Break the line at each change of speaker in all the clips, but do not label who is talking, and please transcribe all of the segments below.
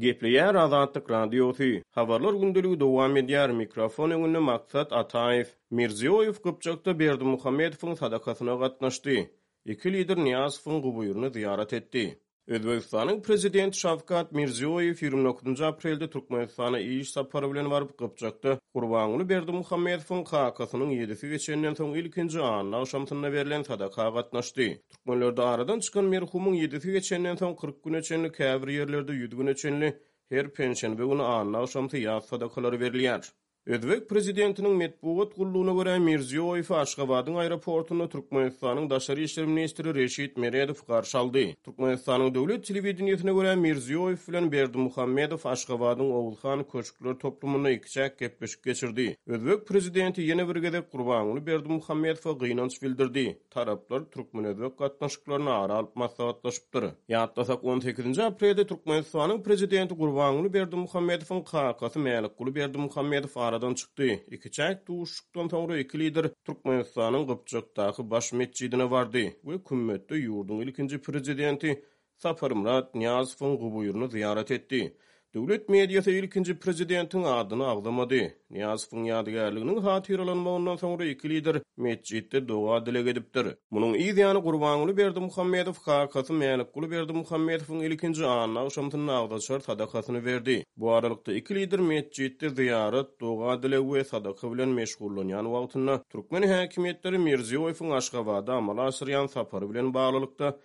Gepleýär Azatlyk Radiosy. Habarlar gündeligi dowam edýär. Mikrofon öňünde Maksat Ataýew. Mirziýoýew Gypjakda Berdimuhamedowyň sadakasyna gatnaşdy. Iki lider Nyýazowyň guburyny zyýarat etdi. Özbegistanyň Prezidenti Şawkat Mirziýoýew 29 aprelde Türkmenistana iş sapary bilen baryp, Gypjakda Gurbanguly Berdimuhamedowyň kakasynyň ýedisi geçenden soň ilkinji anna agşamsynda berlen sadaka gatnaşdy. Türkmenlerde aradan çykan merhumyň ýedisi geçenden soň 40 güne çenli, käbir ýerlerde ýüz güne çenli her penşenbe güni anna agşamsy ýas sadakalary berilýär. Özbek prezidentiniň metbugat gullugyna görä, Mirziýoýewi Aşgabadyň aeroportunda Türkmenistanyň daşary işler ministri Reşit Meredow garşy aldy. Türkmenistanyň döwlet telewideniýesine görä, Mirziýoýew bilen Berdimuhamedow Aşgabadyň Oguzhan köşkler toplumynda ikiçäk gepleşik geçirdi. Özbek prezidenti ýene bir gezek Gurbanguly Berdimuhamedowa gynanç bildirdi. Taraplar türkmen-özbek gatnaşyklaryny ara alyp maslahatlaşypdyr. Ýatlasak, on sekizinji aprelde Türkmenistanyň Prezidenti Gurbanguly Berdimuhamedowyň kakasy Mälikguly Berdimuhamedow aradan çykdy. Ikiçäk duşuşykdan soňra iki lider Türkmenistanyň Gypjakdaky Baş metjidine bardy we kümmetde ýurduň ilkinji Prezidenti Saparmyrat Nyýazowyň guburyny zyýarat etdi. Döwlet mediasy ilkinji prezidentiň adyny agzamady. Nyýazowyň ýadygärliginiň hatyralanmagyndan soňra iki lider metjitde doga-dileg edipdir. Munuň yz ýany Gurbanguly Berdimuhamedow kakasy Mälikguly Berdimuhamedowyň ilkinji anna agşamsynda agzaçar sadakasyny berdi. Bu aralykda iki lider metjitde zyýarat, doga-dileg we sadaka bilen meşgullanýan wagtynda türkmen häkimiýetleri Mirziýoýewiň Aşgabada amala aşyrýan sapary bilen baglylykda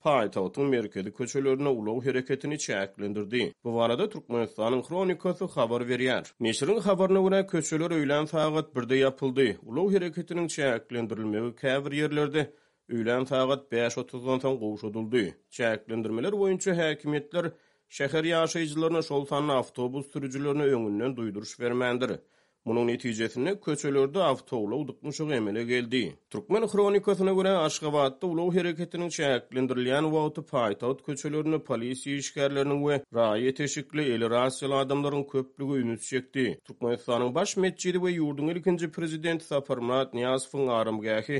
paýtagtyň merkezi köçelerinde ulag hereketini çäklendirdi. Bu barada Türkmenistanyň Hronikasy habar berýär. Neşiriň habaryna görä, köçeler öýlän sagat birde ýapyldy. Ulag hereketiniň çäklendirilmegi käbir ýerlerde öýlän sagat bäş otuzdan soň gowşadyldy. Çäklendirmeler boýunça häkimiýetler şäher ýaşaýjylaryna, şol sanda awtobus sürüjilerine öňünden duýduryş bermändir. Munuň netijesinde, köçelerde awtoulag dyknyşygy emele geldi. Türkmen hronikasyna görä, Aşgabatda ulag hereketiniň çäklendirilýän wagty paýtagt köçelerinde polisiýa işgärleriniň we raýat eşikli, eli rasiýaly adamlaryň köplügi üns çekdi. Türkmenistanyň Baş metjidi we ýurduň ilkinji prezidenti Saparmyrat Nyýazowyň aramgähi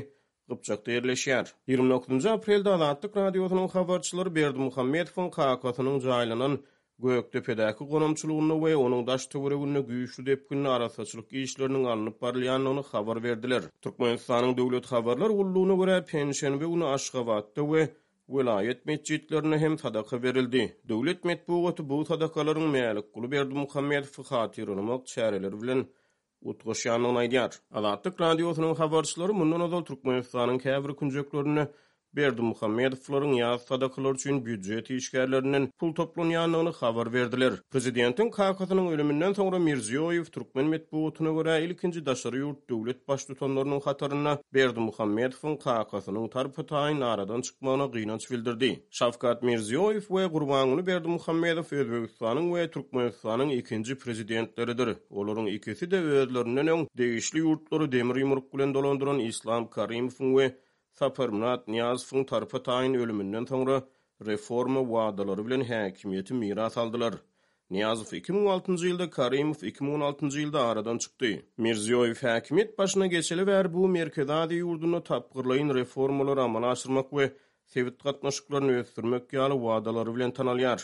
Gypjakda ýerleşýär. 29 aprelde Azatlyk Radiosynyň habarçylary Berdimuhamedowyň kakasynyň jaýlanan Gökdepedäki gonamçylygynda we onuň daş-töwereginde güýçli depginde arassaçylyk işleriniň alnyp barylýandygyny habar berdiler. Türkmenistanyň Döwlet habarlar gullugyna görä, penşenbe güni Aşgabatda we welaýat metjitlerinde hem sadaka berildi. Döwlet metbugaty bu sadakalaryň Mälikguly Berdimuhamedowy hatyralamak çäreleri bilen utgaşýandygyny aýdýar. Azatlyk Radiosynyň habarçylary mundan ozal Türkmenistanyň käbir künjeklerinde Berdimuhamedowlaryň ýas sadakalary üçin býujet işgärlerinden pul toplanýandygyny habar berdiler. Prezidentiň kakasynyň ölüminden soňra Mirziýoýew türkmen metbugatyna görä ilkinji daşary ýurt döwlet baştutanlarynyň hatarynda Berdimuhamedowyň kakasynyň tarpa-taýyn aradan çykmagyna gynanç bildirdi. Şawkat Mirziýoýew we Gurbanguly Berdimuhamedow Özbegistanyň we Türkmenistanyň ikinji prezidentleridir. Olaryň ikisi-de özlerinden öň degişli ýurtlary demir ýumruk bilen dolandyran Islam Karimowyň we Saparmyrat Nyýazowyň tarpa-taýyn ölüminden soňra reforma wadalary bilen häkimiýeti miras aldylar. Nyýazow 2006-njy ýylda, Karimow 2016-njy ýylda aradan çykdy. Mirziýoýew häkimiýet başyna geçeli bäri bu Merkezi Aziýa ýurdunda tapgyrlaýyn reformalary amala aşyrmak we sebit gatnaşyklaryny ösdürmek ýaly wadalary bilen tanalýar.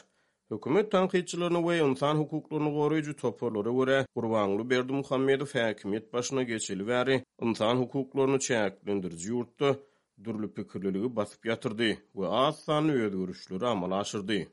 Hökümet tankytçylaryna we ynsan hukuklaryny goraýjy toparlara görä, Gurbanguly Berdimuhamedow häkimiýet başyna geçeli bäri ynsan hukuklaryny çäklendiriji ýurtda dürli pikirliligi basyp ýatyrdy we az sanly özgerişleri amala aşyrdy.